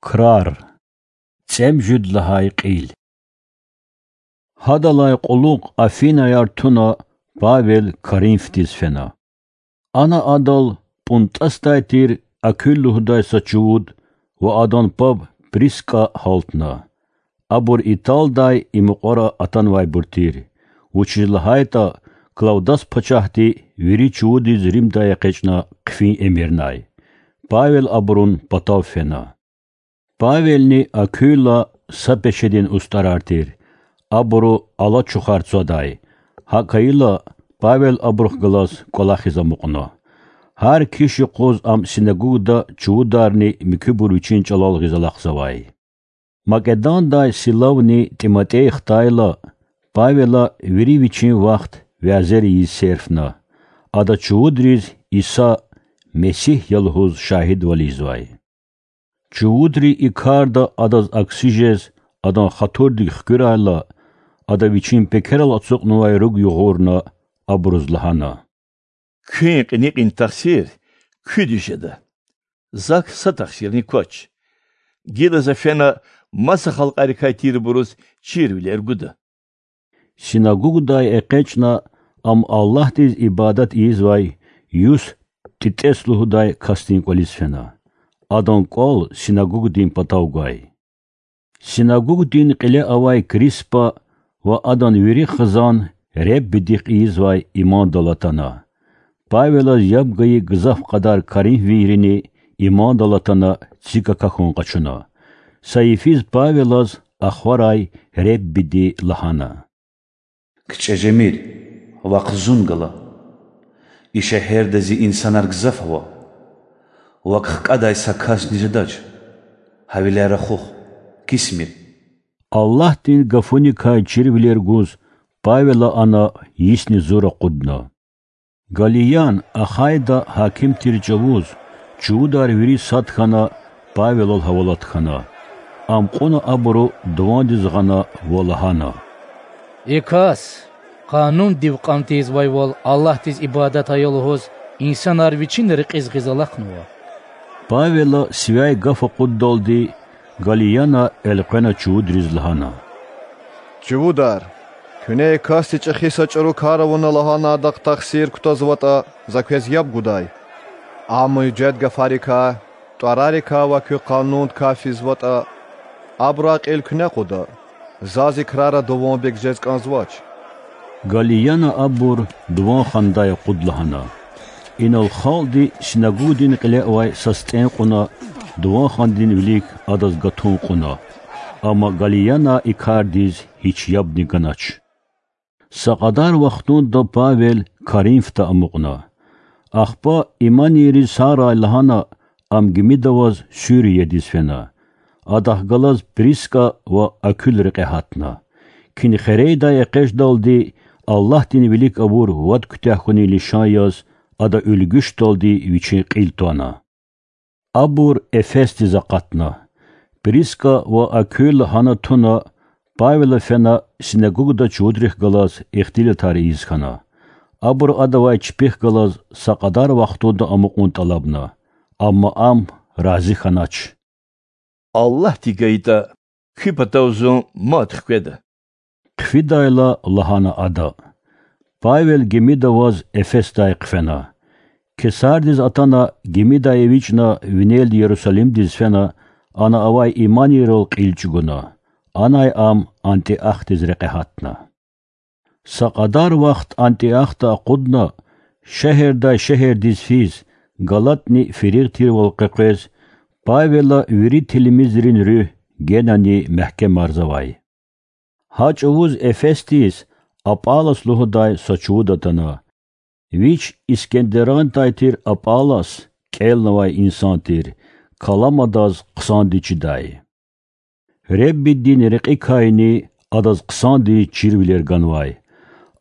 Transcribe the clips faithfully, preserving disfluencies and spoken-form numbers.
Крар. ЦӀемуьжуьд лагьай кьил. Гьадалай кьулухъ афинаяр туна, Павел Коринфдиз фена. Ана адал ПӀунтӏасдай тир Акуьл лугьудай са чувуд ва адан паб Приска гьалтна. Абур Италдай и мукьвара атанвайбур тир, вучиз лагьайтӏа Клавдас пачагьди вири чувудриз Римдай экъечӏна хъфин эмирнай. Павел абурун патав фена. Павелни Акуьла са пешедин устӏарар тир. Абуру алачухар цвадай. Гьакӏ хьайила, Павел абурухъ галаз кӏвалахиз амукьна. Гьар киш юкъуз ам синагогда чувударни муькуьбур вичин чӏалал гъиз алахъзавай. Македондай Силавни Тимофей хтайла, Павела вири вичин вахт вязер ийиз серфна. Ада чувудриз Иса Месигь я лугьуз шагьидвал ийизвай. Чувудри и карда адаз акси жез, адан хатурдик хкуьрайла, ада вичин пекерал ацукьнавай руг югъурна, абуруз лагьана: Куьн кьиникьин тахсир куьдиз жеда. Зак са тахсирни квач. Гила за фена маса халкьарикай тирбуруз чирвилер гуда. Синагогдай экъечӏна, ам Аллагьдиз ибадат ийизвай Юст Титес лугьудай касдин кӏвализ фена. Адан кӏвал синагогдин патав гвай. Синагогдин кьиле авай Криспа ва адан вири хизан Реббидихъ ийизвай имандал атана. Павелаз яб гайи гзаф кьадар коринфвийрини имандал атана, цик акахьун къачуна. Са йифиз Павелаз ахварай Реббиди лагьана: КичӀе жемир, вахъ зун гала. И шегьерда зи инсанар гзаф ава. Вак хкӀадай са касни жедач. Гьавиляй рахух, кисмир. Аллагьдин гафуникай чирвилер гуз, Павела ана йисни зур акъудна. Галлиян, Ахайда гьаким тир чӀавуз, чувудар вири сад хьана, Павелал гьавалат хьана. Ам кьуна абуру дувандиз гъана ва лагьана: И кас Къанундив кьан тийизвайвал Аллагьдиз ибадат ая лугьуз инсанар вичин рекьиз гъиз алахънава. Павела сивяй гаф акъуддалди, Галлияна элкъвена чувудриз лагьана: Чувудар, куьне и касди чӀехи са чӀуру кар авуна лагьана адахъ тахсир кутазватӀа, за квез яб гудай. Ам муьжуьд гафарикай, тӀварарикай ва куь къанундикай физватӀа, абурай кьил куьне кьуда, заз и крара дуванбег жез кӀанзавач. Галлияна абур дуван хандай акъуд лагьана. Инал халкьди синагогдин кьиле авай са стӀен кьуна, дуван хандин вилик адаз гатун кьуна. Амма Галлияна и кардиз гьич ябни ганач. Са кьадар вахтунда Павел Коринфда амукьна. Ахпа иманийриз сагърай лагьана, ам гимида аваз Суриядиз фена. Адахъ галаз Приска ва Акуьл рекье гьатна. Кинхерейдай экъечӀдалди, Аллагьдин вилик авур вад куьтягь хьунин лишан яз, ада уьлгуьшдалди вичин кьил твана. Абур Эфесдиз акъатна. Приска ва Акуьл гьана туна, Павела фена синагогда чувудрихъ галаз ихтилатар ийиз хьана. Абуру адавай чпихъ галаз са кьадар вахтунда амукьун тӀалабна, амма ам рази хьанач. Аллагьди гайитӀа, куь патав зун мад хкведа. Хъфидайла лагьана ада. Павел гимида аваз Эфесдай хъфена. Кесардиз атана, гимидай эвичӀна, винелди Ярусалимдиз фена, ана авай иманийрал кьил чӀугуна. Анай ам Антиохдиз рекье гьатна. Са кьадар вахт Антиохда акъудна, шегьердай шегьердиз физ, галатни фиригъ тирвал къекъвез, Павела вири тилмизрин руьгь генани мягькемарзавай. Гьа чӀавуз Эфесдиз Аполлос лугьудай са чувуд атана. Вич Искендерантай тир Аполлос, кӀелнавай инсан тир, калам адаз хъсандиз чидай. Реббидин рекьикайни адаз хъсандиз чирвилер ганвай.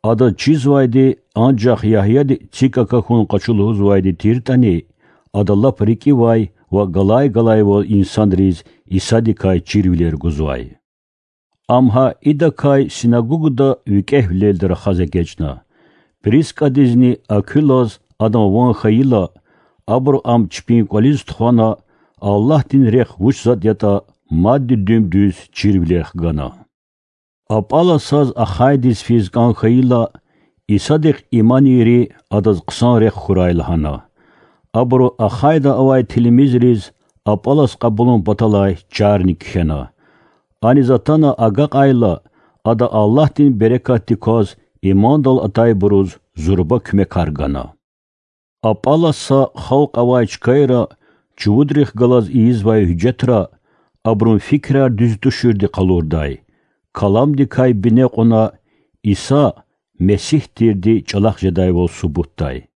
Адаз чизвайди анжах Ягьяди цик акахьун къачу лугьузвайди тиртӀани, ада лап рикӀивай ва галай-галайвал инсанриз Исадикай чирвилер гузвай. Ам гьа идакай синагогда викӀегьвилелди рахаз эгечӀна. Прискадизни Акуьлаз адан ван хьайила, абуру ам чпин кӀвализ тухвана, Аллагьдин рехъ вуч затІ ятІа мадни дуьм-дуьз чирвилер хгана. Аполлосаз ахайдиз физ кІан хьайила, Исадихъ иманийри адаз хъсан рехъ хьурай лагьана. Абуру ахайда авай тилмизриз Аполлос кьабулун паталай чарни кхьена. Аниз атана агакьайла, ада Аллагьдин берекатди кваз имандал атайбуруз зурба куьмекар гана. Аполлоса халкь авай чкайра чувудрихъ галаз ийизвай гьуьжетра абурун фикирар дуьз туширди къалурдай, каламдикай бине кьуна Иса Месигь тирди чІалахъ жедайвал субутдай.